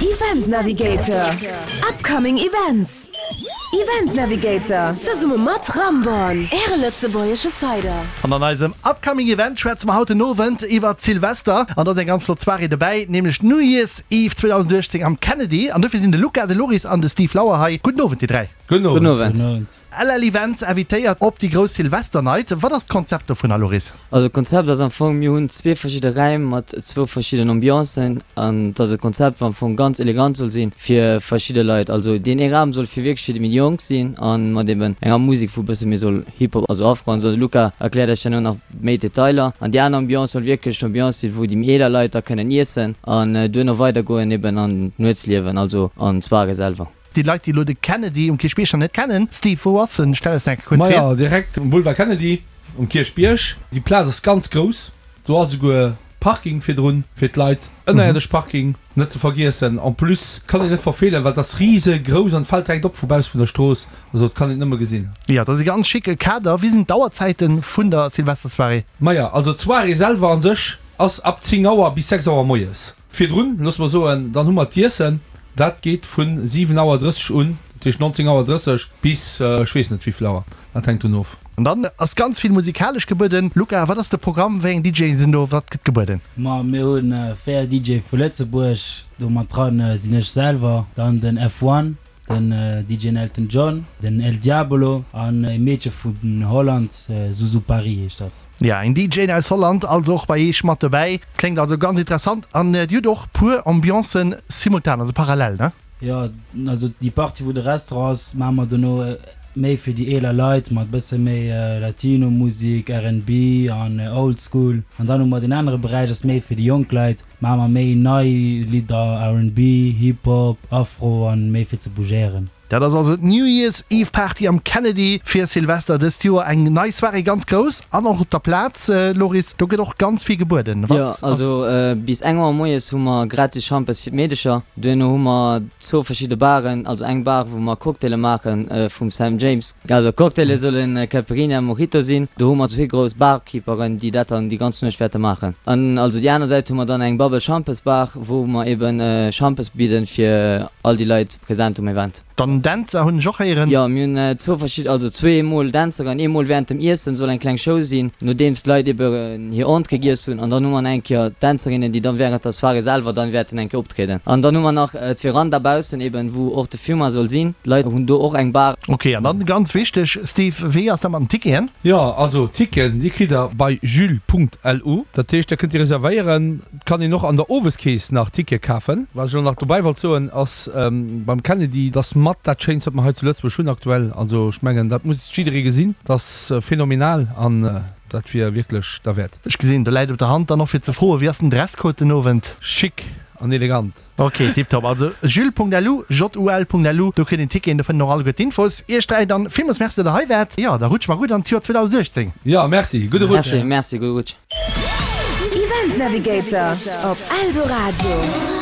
Event Navigator, Upcoming Events. Event Navigator, zesumme mat Ramborn, Äre lëtzebuergesche Cider. An an eisem Upcoming Event schwätze mer haut den Owend iwwert Silvester. An do ass eng ganz flott Soirée dobäi, nämlech d'New Year's Eve 2018 am Kennedy. An dofir sinn de Luca, de Loris an de Steve Lauer hei. Gudden Owend, dir 3. Gudden Owend. LL Events invitéiert op déi grouss Silvesternight. Wat ass d'Konzept dovunner, Loris? Also d'Konzept ass am Fong, mir hunn zwee verschidde Räim mat zwou verschidden Ambiancen an et ass e Konzept wat am Fong ganz elegant soll sinn fir verschidde Leit. Also deen ee Raum soll fir wierklech fir déi méi Jonk sinn a mat eben enger Musek wou e bësse méi soll Hip Hop, also Afro an esou. De Luca erkläert iech herno nach méi Detailer. An déi aner Ambiance soll wierklech d'Ambiance sinn wou déi méi eeler Leit da kënnen iessen an duerno weidergoen eben an d'Nuetsliewen, also an d'Soirée selwer. Déi Leit, déi elo de Kennedy um Kierchbierg nach net kennen, Steve, wou ass en? Stell eis nach eng Kéier kuerz vir. Majo, direkt um Boulevard Kennedy um Kierchbierg. Déi Plaz ass ganz grouss. Do ass esouguer Parking virdrun fir d'Leit, ënnerierdesch Parking net ze vergiessen. En plus kann een net verfeelen, well et ass risegrouss an et fält direkt op vu bausse vun der Strooss. Also et kann een et nëmme gesinn. Jo, et ass e ganz schicke Kader. Wéi sinn d'Auerzäite vun der Silvestersoirée? Majo, also d'Soirée selwer an sech ass ab 10 Auer bis 6 Auer moies. Virdrun, loosse mer soen, dann hu mer d'Iessen, dat geet vu 7 Auer 30 un, dat heescht 19 Auer 30 bis ech weess net wéivill Auer, dat hänkt drun of. An dann ass ganz vill musikalesch gebueden. Luca, wat ass de Programm, wéi eng DJe sinn do, wat gëtt gebueden? Ma mir hu 4 DJe vu Lëtzebuerg, do mat dran sinn ech selwer, dann den F-One, Den DJ Elton John, den El Diabolo an e Meedche vun Holland, Zuzu Paris heescht dat. Ja, een DJ aus Holland also och bei eech mat dobäi. Kléngt also ganz interessant. An dir hutt och puer Ambiancen simultan, also parallel, ne? Jo, also déi Partie wou de Restaurant ass, maache mer dono méi fir déi eeler Leit mat bësse méi Latino Musik, RnB an Old School. An dann hu mer deen anere Beräich ass méi fir déi jonk Leit. Maache mer méi nei Lidder, RnB, Hip Hop, Afro an méi fir ze bougéieren. Dat ass also d'New Year's Eve Party am Kennedy fir Silvester dëst Joer. Eng nei Soirée ganz grouss an och op der Plaz, Loris, do gëtt och ganz vill gebueden. Jo, also bis eng Auer moies hu mer gratis Schampes fir d'Meedecher. Duerno hu mer zwou verschidde Baren, also eng Bar wou mer Cocktaile maache vum Sam James. Also Cocktaile solle Caipirinha a Mojito sinn. Do hu mer zwee grouss Barkeeperen, déi dat dann déi ganz Nuecht wäerte maachen. An also déi aner Säit hu mer dann eng Bubble Schampes Bar, wou mer eben Schampes bidden fir all déi Leit present um Event. Dann Dänzer hunn ech och héieren. Jo, mir hunn zwou verschidden, also zwee mol Dänzer an eemol während dem Iessen soll eng kleng Show sinn, nodeems d'Leit eben hir Entrée giess hunn. An dann hu mer nach eng Kéier d'Dänzerinnen, déi dann während der Soirée selwer dann wäerten eng Kéier optrieden. An dann hu mer nach d'Veranda baussen eben, wou och de Fumoir soll sinn. D'Leit hunn do och eng Bar. Ok, an dann ganz wichteg, Steve, wéi ass dat mat den Ticketen? Jo, also Ticketen, déi kritt der bei jules.lu. Dat heescht, da kënnt Dir reservéieren. Et kann een och an der Oweskeess nach Tickete kafen. Wat ech elo nach dobäi wollt soen, ass beim Kennedy, et ass mat dat Schéinst, wat mer hei zu Lëtzebuerg hunn aktuell. Also ech mengen, dat muss jidderee gesinn. Et ass phänomenal an dat wier wierklech derwäert. Ech gesinn, do läit op der Hand dann och fir ze froen, wéi ass den Dresscode den Owend? Chic an elegant. Ok, tiptop. Also jul.lu, J-U-L.lu, do kritt een Ticketen, do fënnt een och alleguer d'Infos. Iech 3 dann villmools Merci, datt der hei waart. Jo, da rutscht mer gutt an d'Joer 2018. Jo, Merci, gudde Rutsch. Merci, merci, gudde Rutsch. Event Navigator op Eldoradio.